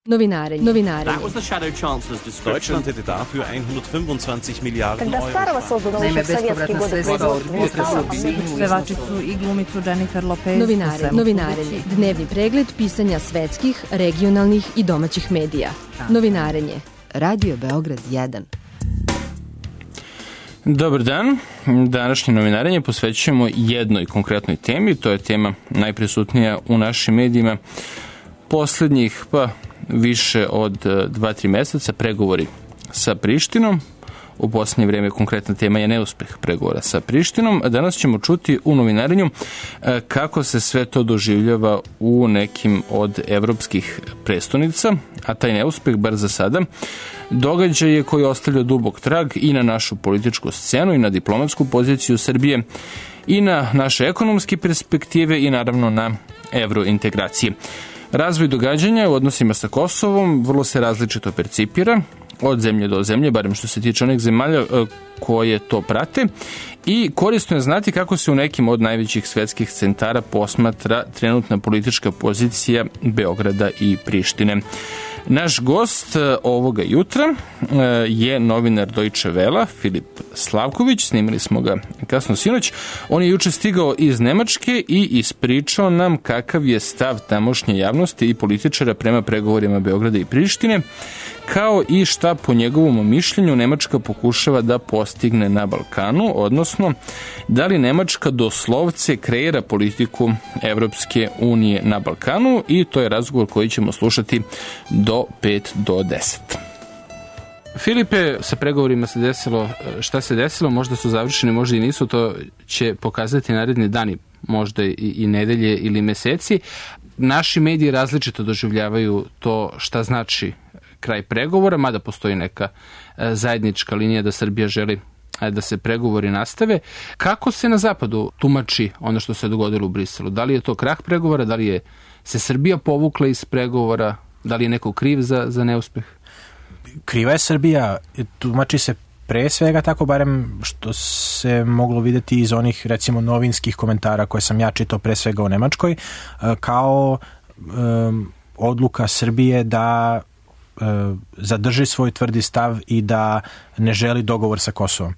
Novinarenje. Deutschland hätte dafür 125 milijardi euro. Naime, bespovratna sredstva od pevačicu i glumicu Jennifer Lopez. Novinarenje. Dnevni pregled pisanja svetskih, regionalnih i domaćih medija. Novinarenje. Radio Beograd 1. Dobar dan. Današnje novinarenje posvećujemo jednoj konkretnoj temi. To je tema najprisutnija u našim medijima poslednjih, više od 2-3 meseca, pregovori sa Prištinom. U poslednje vreme konkretna tema je neuspeh pregovora sa Prištinom. Danas ćemo čuti u novinarenju kako se sve to doživljava u nekim od evropskih prestonica, a taj neuspeh, bar za sada, događaj je koji ostavlja dubok trag i na našu političku scenu i na diplomatsku poziciju Srbije i na naše ekonomske perspektive i naravno na evrointegracije. Razvoj događanja u odnosima sa Kosovom vrlo se različito percipira od zemlje do zemlje, barem što se tiče onih zemalja koje to prate, i korisno je znati kako se u nekim od najvećih svetskih centara posmatra trenutna politička pozicija Beograda i Prištine. Naš gost ovoga jutra je novinar Deutsche Welle, Filip Slavković. Snimili smo ga kasno sinoć. On je juče stigao iz Nemačke i ispričao nam kakav je stav tamošnje javnosti i političara prema pregovorima Beograda i Prištine, kao i šta po njegovom mišljenju Nemačka pokušava da postigne na Balkanu, odnosno da li Nemačka doslovce kreira politiku Evropske unije na Balkanu, i to je razgovor koji ćemo slušati do 5 do 10. Filipe, sa pregovorima se desilo šta se desilo, možda su završeni, možda i nisu, to će pokazati naredni dani, možda i nedelje ili meseci. Naši mediji različito doživljavaju to šta znači kraj pregovora, mada postoji neka zajednička linija da Srbija želi da se pregovori nastave. Kako se na zapadu tumači ono što se dogodilo u Briselu? Da li je to krah pregovora, da li je se Srbija povukla iz pregovora, da li je neko kriv za neuspeh? Kriva je Srbija, tumači se pre svega tako, barem što se moglo videti iz onih, recimo, novinskih komentara koje sam ja čitao pre svega u Nemačkoj, kao odluka Srbije da zadrži svoj tvrdi stav i da ne želi dogovor sa Kosovom.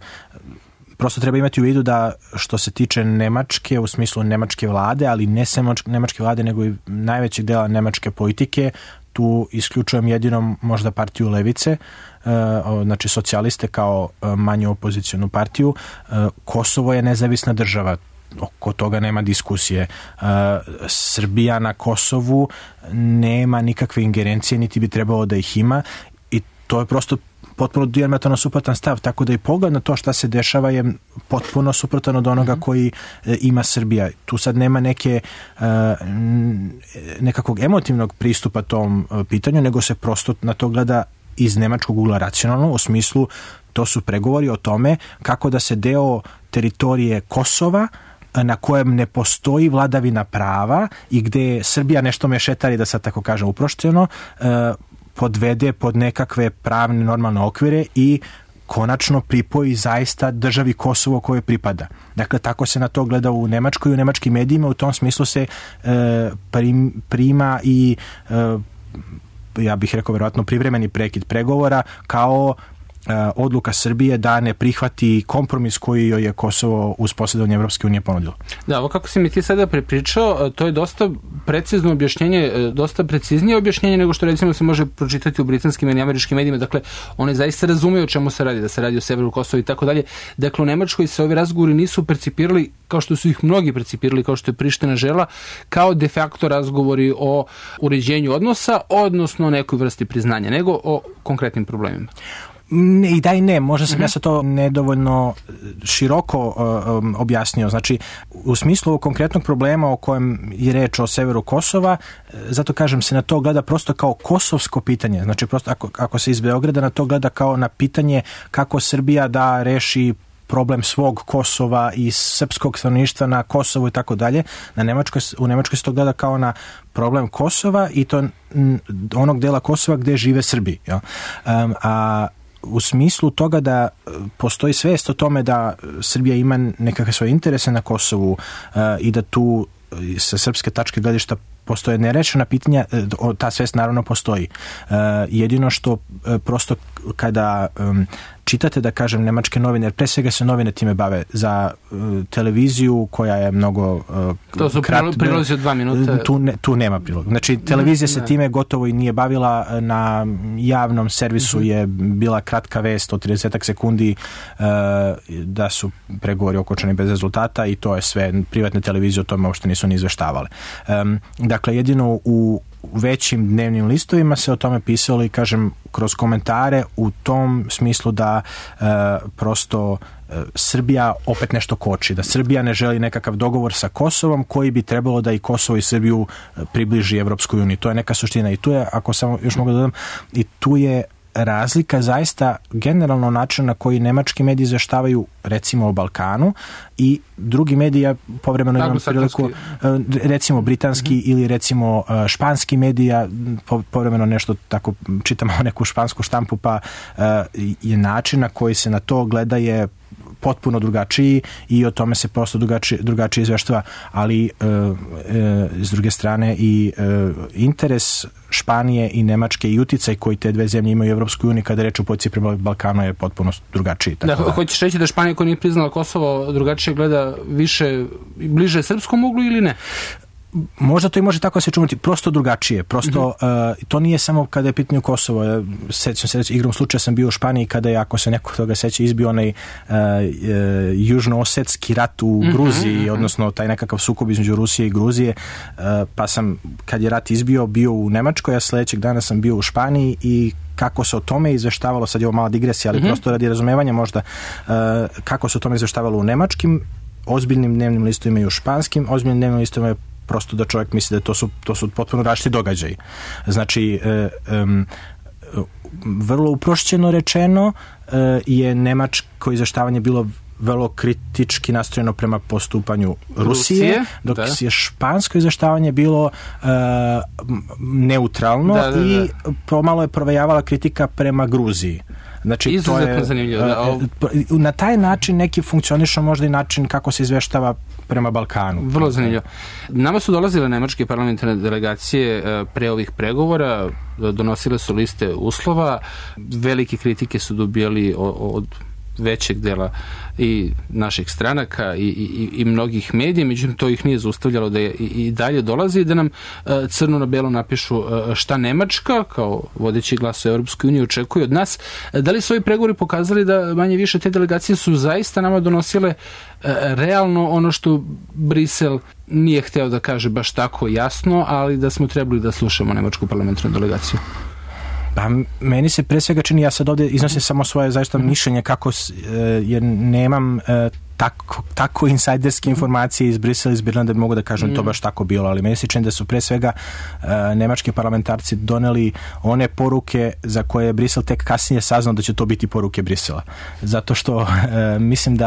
Prosto treba imati u vidu da što se tiče Nemačke, u smislu nemačke vlade, ali ne samo nemačke vlade, nego i najvećeg dela nemačke politike, tu isključujem jedino možda partiju levice, znači socijaliste kao manju opozicionu partiju. Kosovo je nezavisna država, oko toga nema diskusije. Srbija na Kosovu nema nikakve ingerencije, niti bi trebalo da ih ima, i to je prosto potpuno dijametralno suprotan stav, tako da i pogled na to šta se dešava je potpuno suprotan od onoga koji ima Srbija. Tu sad nema nekakvog emotivnog pristupa tom pitanju, nego se prosto na to gleda iz nemačkog ugla racionalno, u smislu to su pregovori o tome kako da se deo teritorije Kosova, na kojem ne postoji vladavina prava i gde Srbija nešto mešetari, da sad tako kažem uprošćeno, podvede pod nekakve pravne normalne okvire i konačno pripoji zaista državi Kosovo koje pripada. Dakle, tako se na to gleda u Nemačkoj i u nemačkim medijima. U tom smislu se prima i ja bih rekao verovatno privremeni prekid pregovora kao odluka Srbije da ne prihvati kompromis koji joj je Kosovo uz posredovanje Evropske unije ponudilo. Da, ovo kako si mi ti sada prepričao, to je dosta precizno objašnjenje, dosta preciznije objašnjenje nego što recimo se može pročitati u britanskim i američkim medijima. Dakle, oni zaista razumeju o čemu se radi, da se radi o severu Kosova i tako dalje. Dakle, u Nemačkoj se ovi razgovori nisu percipirali kao što su ih mnogi percipirali, kao što je Priština žela, kao de facto razgovori o uređenju odnosa, odnosno nekoj vrsti priznanja, nego o konkretnim problemima. Ne, i da i ne, možda sam ja sa to nedovoljno široko objasnio. Znači, u smislu ovog konkretnog problema o kojem je reč o severu Kosova, zato kažem se na to gleda prosto kao kosovsko pitanje. Znači, prosto ako se iz Beograda na to gleda kao na pitanje kako Srbija da reši problem svog Kosova i srpskog stanovništva na Kosovu i tako dalje. U Nemačkoj se to gleda kao na problem Kosova i to onog dela Kosova gde žive Srbi. Ja? A u smislu toga da postoji svest o tome da Srbija ima nekakve svoje interese na Kosovu i da tu sa srpske tačke gledišta postoje nerešena pitanja, ta svest naravno postoji. Jedino što prosto kada čitate, da kažem, nemačke novine, jer pre svega se novine time bave, za televiziju koja je mnogo to su prilozi od 2 minuta. Tu nema prilog. Znači, televizija se time gotovo i nije bavila. Na javnom servisu je bila kratka vest od 30 sekundi da su pregovori okončani bez rezultata i to je sve. Privatne televizije o tome uopšte nisu ni izveštavale. Dakle, jedino u većim dnevnim listovima se o tome pisalo i, kažem, kroz komentare u tom smislu da prosto Srbija opet nešto koči, da Srbija ne želi nekakav dogovor sa Kosovom koji bi trebalo da i Kosovo i Srbiju približi Evropskoj uniji. To je neka suština i tu je, ako samo još mogu da dodam, i tu je razlika zaista generalno način na koji nemački mediji izveštavaju recimo o Balkanu i drugi mediji, ja povremeno imam priliku, recimo britanski ili recimo španski medija, povremeno nešto tako čitamo neku špansku štampu, pa je način na koji se na to gleda je potpuno drugačiji i o tome se prosto drugačije izveštava, ali s druge strane i interes Španije i Nemačke i uticaj koji te dve zemlje imaju u Evropskoj uniji kada reč o policiji prema Balkanu je potpuno drugačiji. Da, hoćeš reći da Španija koja nije priznala Kosovo drugačije gleda više, bliže srpskom uglu ili ne? Možda to i može tako se čumati, prosto drugačije. Prosto, to nije samo kada je pitanje Kosovo. Sećam se, igrom slučaja sam bio u Španiji kada je, ako se neko toga seća, izbio onaj južno-osetski rat u Gruziji, odnosno taj nekakav sukob između Rusije i Gruzije, pa sam, kad je rat izbio, bio u Nemačkoj, a sledećeg dana sam bio u Španiji i kako se o tome izveštavalo, sad je ovo mala digresija, ali prosto radi razumevanja možda, kako se o tome izveštavalo u nemačkim ozbiljnim dnevnim listovima i u španskim ozbiljnim dnevnim listovima je prosto da čovjek misli da to su potpuno različiti događaji. Znači, vrlo uprošćeno rečeno je nemačko izveštavanje bilo vrlo kritički nastrojeno prema postupanju Rusije, dok je špansko izveštavanje bilo neutralno i pomalo je provejavala kritika prema Gruziji. Znači, izuzetno zanimljivo. Na taj način neki funkcioniše možda i način kako se izveštava prema Balkanu. Vrlo zanimljivo. Nama su dolazile nemačke parlamentarne delegacije pre ovih pregovora, donosile su liste uslova, velike kritike su dobijali od većeg dela i naših stranaka i mnogih medija, međutim to ih nije zaustavljalo da i dalje dolazi i da nam crno na belo napišu šta Nemačka kao vodeći glas u Europskoj uniji očekuje od nas. Da li su ovi pregovori pokazali da manje više te delegacije su zaista nama donosile realno ono što Brisel nije hteo da kaže baš tako jasno, ali da smo trebali da slušamo nemačku parlamentarnu delegaciju? Pa meni se pre svega čini, ja sad ovdje iznosim samo svoje zaista mišljenje kako, jer nemam tako insajderske informacije iz Brisela, iz Birlanda da mogu da kažem to baš tako bilo, ali meni se čini da su pre svega nemački parlamentarci doneli one poruke za koje je Brisel tek kasnije saznao da će to biti poruke Brisela. Zato što mislim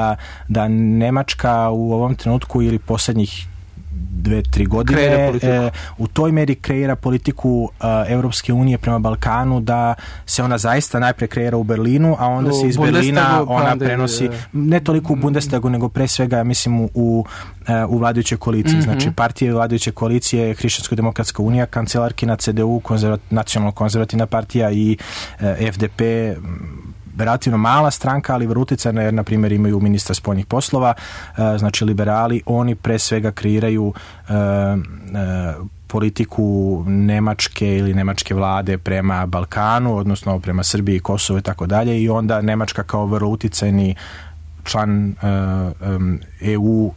da Nemačka u ovom trenutku ili poslednjih 2-3 godine u toj meri kreira politiku Evropske unije prema Balkanu, da se ona zaista najpre kreira u Berlinu, a onda se iz Berlina ona prenosi ne toliko u Bundestagu, nego pre svega mislim u vladajućoj koaliciji. Znači partije vladajuće koalicije, Hrišćansko-demokratska unija, kancelarkina CDU, nacionalno-konzervativna partija i FDP, relativno mala stranka, ali vrlo uticajna, jer na primjer imaju ministra spoljnih poslova, znači liberali, oni pre svega kreiraju politiku Nemačke ili nemačke vlade prema Balkanu, odnosno prema Srbiji i Kosovu i tako dalje, i onda Nemačka kao vrlo uticajni član EU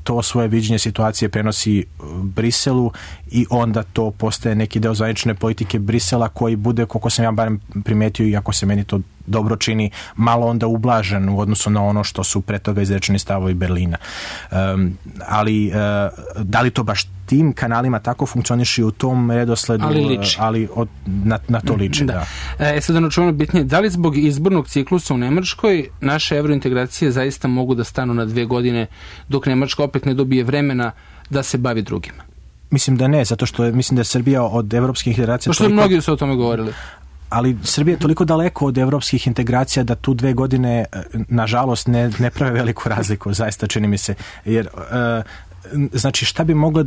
to svoje viđenje situacije prenosi Briselu i onda to postaje neki deo zvanične politike Brisela koji bude, koliko sam ja barem primetio i ako se meni to dobro čini, malo onda ublažen u odnosu na ono što su pre toga izrečeni stavovi Berlina. Ali da li to baš tim kanalima tako funkcioniše u tom redosledu, ali na to liči. Da. Sad ono čuveno bitnije, da li zbog izbornog ciklusa u Nemačkoj naše evrointegracije zaista mogu da stanu na 2 godine dok Nemačka opet ne dobije vremena da se bavi drugima? Mislim da ne, zato što mislim da je Srbija od evropskih integracija... Što mnogi su o tome govorili. Ali Srbija je toliko daleko od evropskih integracija da tu 2 godine, nažalost, ne prave veliku razliku, zaista čini mi se. Jer, znači, šta bi moglo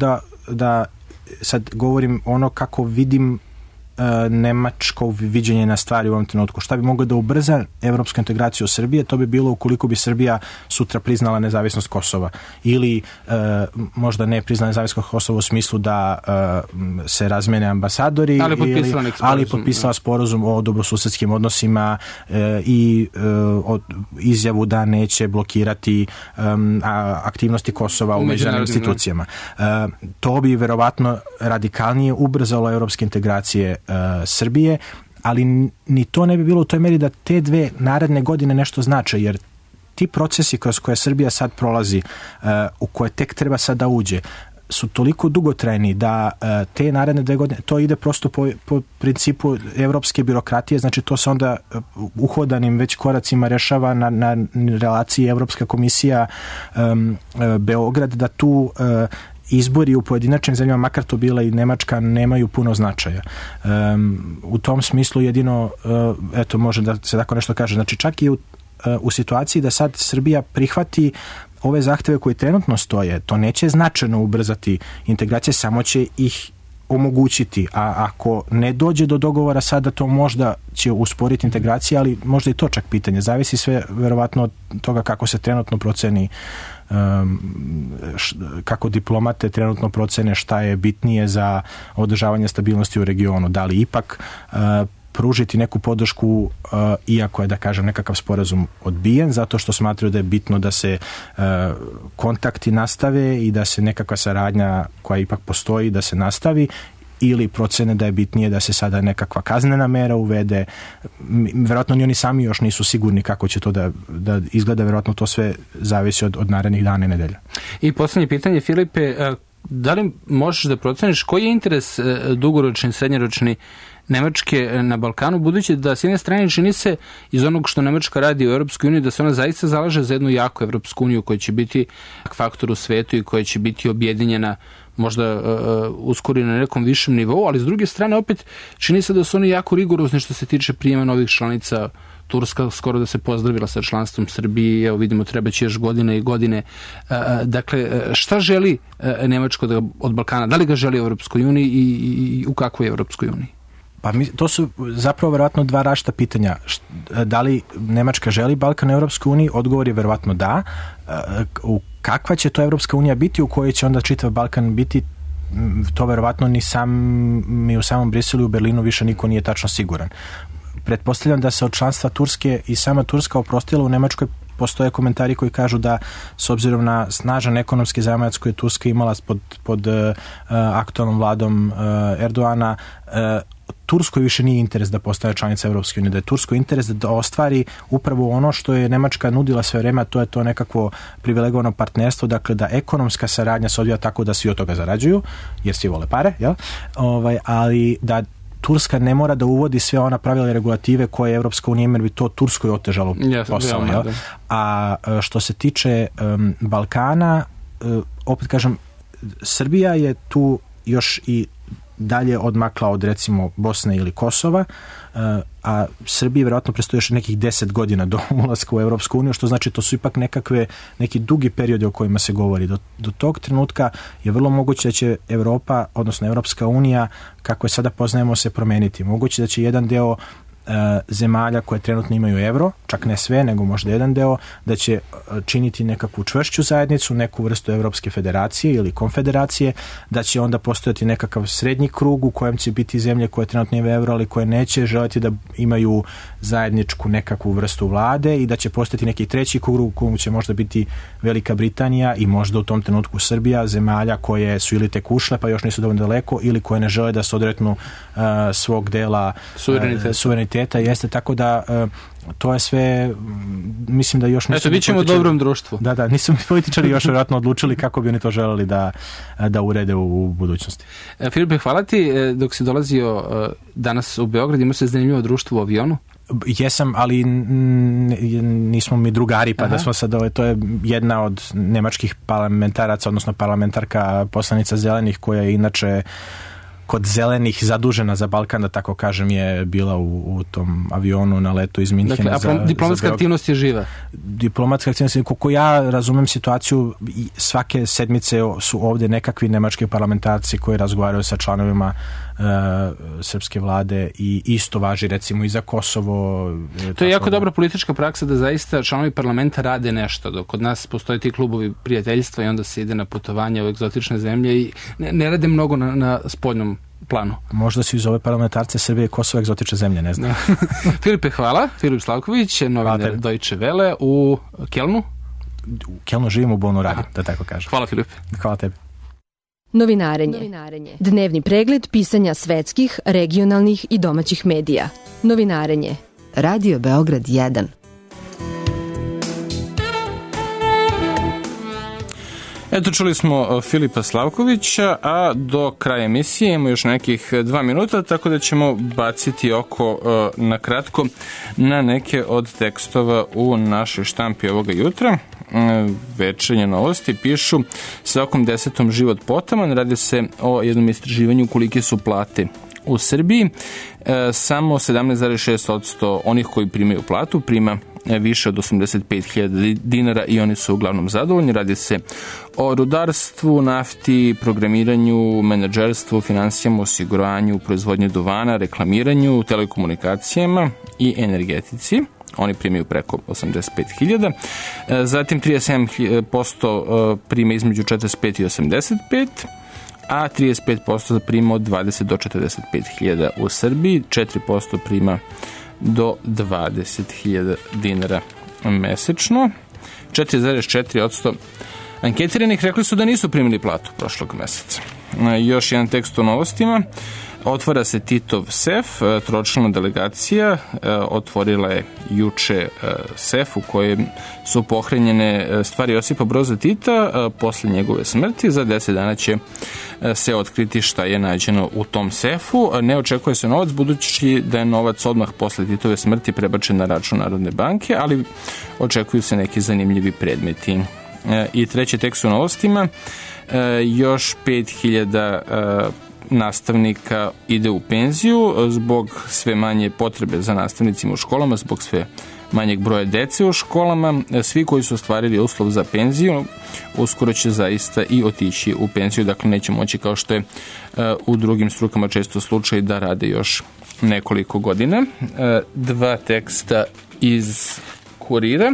da sad govorim ono kako vidim nemačko viđenje na stvari u ovom trenutku. Šta bi moglo da ubrza evropsku integraciju Srbije? To bi bilo ukoliko bi Srbija sutra priznala nezavisnost Kosova ili možda ne priznala nezavisnost Kosova u smislu da se razmene ambasadori, ali potpisala sporazum o dobrosusedskim odnosima i izjavu da neće blokirati aktivnosti Kosova u međunarodnim institucijama. To bi verovatno radikalnije ubrzalo evropske integracije Srbije, ali ni to ne bi bilo u toj meri da te dve naredne godine nešto znače, jer ti procesi kroz koje Srbija sad prolazi, u koje tek treba sad da uđe, su toliko dugotrajni da te naredne 2 godine, to ide prosto po principu evropske birokratije, znači to se onda uhodanim već koracima rešava na relaciji Evropska komisija Beograd, da tu izbori u pojedinačnim zemljama, makar to bila i Nemačka, nemaju puno značaja. U tom smislu jedino, eto, može da se tako nešto kaže, znači čak i u situaciji da sad Srbija prihvati ove zahteve koji trenutno stoje, to neće značajno ubrzati integracije, samo će ih omogućiti, a ako ne dođe do dogovora sada, to možda će usporiti integracije, ali možda i to čak pitanje. Zavisi sve verovatno od toga kako se trenutno proceni, kako diplomate trenutno procene šta je bitnije za održavanje stabilnosti u regionu. Da li ipak pružiti neku podršku, iako je, da kažem, nekakav sporazum odbijen, zato što smatraju da je bitno da se kontakti nastave i da se nekakva saradnja koja ipak postoji da se nastavi, ili procene da je bitnije da se sada nekakva kaznena mera uvede. Verovatno ni oni sami još nisu sigurni kako će to da izgleda, verovatno to sve zavisi od narednih dana i nedelja. I poslednje pitanje, Filipe, da li možeš da proceniš koji je interes dugoročni, srednjoročni Nemačke na Balkanu, budući da s jedne strane čini se iz onog što Nemačka radi u Europskoj uniji da se ona zaista zalaže za jednu jaku Europsku uniju koja će biti faktor u svetu i koja će biti objedinjena možda uskoro na nekom višem nivou, ali s druge strane opet čini se da su oni jako rigorozni što se tiče prijema novih članica. Turska skoro da se pozdravila sa članstvom Srbije, evo vidimo treba će još godine i godine. Dakle, šta želi Nemačko od Balkana? Da li ga želi u Europskoj uniji i u kakvoj Europskoj uniji? Pa to su zapravo verovatno dva različita pitanja. Da li Nemačka želi Balkan u Europskoj uniji? Odgovor je verovatno da. Kakva će to Europska unija biti, u kojoj će onda čitav Balkan biti, to verovatno ni u samom Briselu i u Berlinu više niko nije tačno siguran. Pretpostavljam da se od članstva Turske i sama Turska oprostila. U Nemačkoj postoje komentari koji kažu da s obzirom na snažan ekonomski zajamac koji je Turska imala pod aktualnom vladom Erdoana, Turskoj više nije interes da postane članica Evropske unije, da je Turskoj interes da ostvari upravo ono što je Nemačka nudila sve vreme, a to je to nekakvo privilegovano partnerstvo, dakle da ekonomska saradnja se odvija tako da svi od toga zarađuju, jer svi vole pare, jel? Ali da Turska ne mora da uvodi sve ona pravila i regulative koje Evropska unija ima, jer bi to Turskoj otežalo posao. Jel? A što se tiče Balkana, opet kažem, Srbija je tu još i dalje odmakla od recimo Bosne ili Kosova, a Srbiji vjerojatno predstoji još nekih 10 godina do ulaska u Evropsku uniju, što znači to su ipak neki dugi periodi o kojima se govori. Do tog trenutka je vrlo moguće da će Evropa, odnosno Evropska unija, kako je sada poznajemo, se promeniti. Moguće da će jedan deo zemalja koje trenutno imaju evro, čak ne sve, nego možda jedan deo, da će činiti nekakvu čvršću zajednicu, neku vrstu Evropske federacije ili konfederacije, da će onda postojati nekakav srednji krug u kojem će biti zemlje koje trenutno imaju evro, ali koje neće želiti da imaju zajedničku nekakvu vrstu vlade, i da će postojati neki treći krug u kojem će možda biti Velika Britanija i možda u tom trenutku Srbija, zemalja koje su ili tek ušle pa još nisu dovoljno daleko, ili koje ne žele da se odreknu svog dela suvereniteta. Jeste, tako da to je sve, mislim da još nisu... Eto, bit ćemo u dobrom društvu. Da, nisu političari još vjerojatno odlučili kako bi oni to želeli da urede u budućnosti. Filipe, hvala ti. Dok si dolazio danas u Beograd, imao se zanimljivo društvo u avionu? Jesam, ali nismo mi drugari, pa da smo sad, to je jedna od nemačkih parlamentaraca, odnosno parlamentarka, poslanica Zelenih, koja je inače kod zelenih zadužena za Balkan, da tako kažem, je bila u tom avionu na letu iz Minhena. Dakle, diplomatska aktivnost je živa? Diplomatska aktivnost, koliko ja razumem situaciju, svake sedmice su ovde nekakvi nemački parlamentarci koji razgovaraju sa članovima srpske vlade i isto važi recimo i za Kosovo. To je jako dobra politička praksa da zaista članovi parlamenta rade nešto, dok kod nas postoje ti klubovi prijateljstva i onda se ide na putovanje u egzotične zemlje i ne rade mnogo na spoljnom planu. Možda se iz ove parlamentarce Srbije Kosovo egzotične zemlje, ne znam. Filipe, hvala. Filip Slavković, novinar Deutsche Welle u Kelnu. U Kelnu živim, u Bonu radim, da tako kažem. Hvala, Filipe. Hvala tebi. Novinarenje. Dnevni pregled pisanja svetskih, regionalnih i domaćih medija. Novinarenje. Radio Beograd 1. Eto, čuli smo Filipa Slavkovića, a do kraja emisije imamo još nekih 2 minuta, tako da ćemo baciti oko na kratko na neke od tekstova u našoj štampi ovoga jutra. Večernje novosti pišu svakom 10. život potaman. Radi se o jednom istraživanju kolike su plate u Srbiji. Samo 17,6% onih koji primaju platu prima više od 85.000 dinara i oni su uglavnom zadovoljni. Radi se o rudarstvu, nafti, programiranju, menadžerstvu, finansijama, osiguranju, proizvodnju duvana, reklamiranju, telekomunikacijama i energetici. Oni primaju preko 85.000. Zatim 37% prima između 45 i 85, a 35% prima od 20 do 45.000 u Srbiji, 4% prima do 20.000 dinara mesečno. 4,4% anketiranih rekli su da nisu primili platu prošlog meseca. Još jedan tekst o novostima. Otvara se Titov sef, tročlana delegacija otvorila je juče sef u kojem su pohranjene stvari Josipa Broza Tita posle njegove smrti. Za 10 dana će se otkriti šta je nađeno u tom sefu. Ne očekuje se novac, budući da je novac odmah posle Titove smrti prebačen na račun Narodne banke, ali očekuju se neki zanimljivi predmeti. I treći tekst u novostima, još 5.000 nastavnika ide u penziju zbog sve manje potrebe za nastavnicima u školama, zbog sve manjeg broja dece u školama. Svi koji su ostvarili uslov za penziju uskoro će zaista i otići u penziju, dakle neće moći kao što je u drugim strukama često slučaj da rade još nekoliko godina. 2 teksta iz Kurira.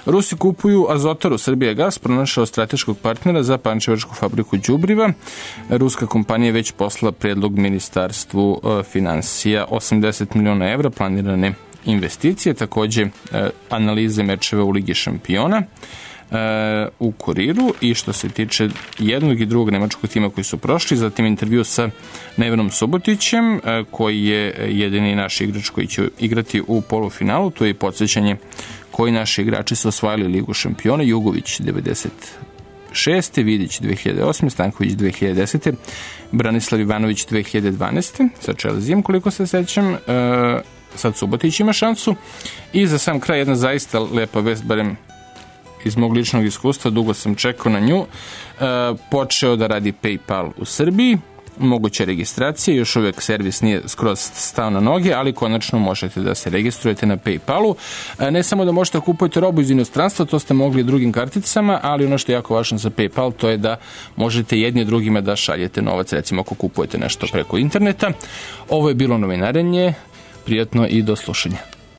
Rusi kupuju Azotaru. Srbijagas pronašao strateškog partnera za pančevačku fabriku đubriva. Ruska kompanija već poslala predlog Ministarstvu finansija. 80 miliona evra planirane investicije, takođe analize mečeva u Ligi šampiona u Kuriru. I što se tiče jednog i drugog nemačkog tima koji su prošli, zatim intervju sa Nevenom Subotićem, koji je jedini naš igrač koji će igrati u polufinalu. To je i podsjećanje koji naši igrači su osvajali Ligu šampiona. Jugović 96. Vidić 2008. Stanković 2010. Branislav Ivanović 2012. sa Chelseaom, koliko se sećam. Sad Subotić ima šansu. I za sam kraj jedna zaista lepa vest, barem iz mog ličnog iskustva, dugo sam čekao na nju. Počeo da radi PayPal u Srbiji. Moguća registracija, još uvijek servis nije skroz stao na noge, ali konačno možete da se registrujete na PayPalu. Ne samo da možete kupujete robu iz inostranstva, to ste mogli drugim karticama, ali ono što je jako važno za PayPal, to je da možete jedni drugima da šaljete novac, recimo ako kupujete nešto preko interneta. Ovo je bilo novinarenje, prijatno i do slušanja.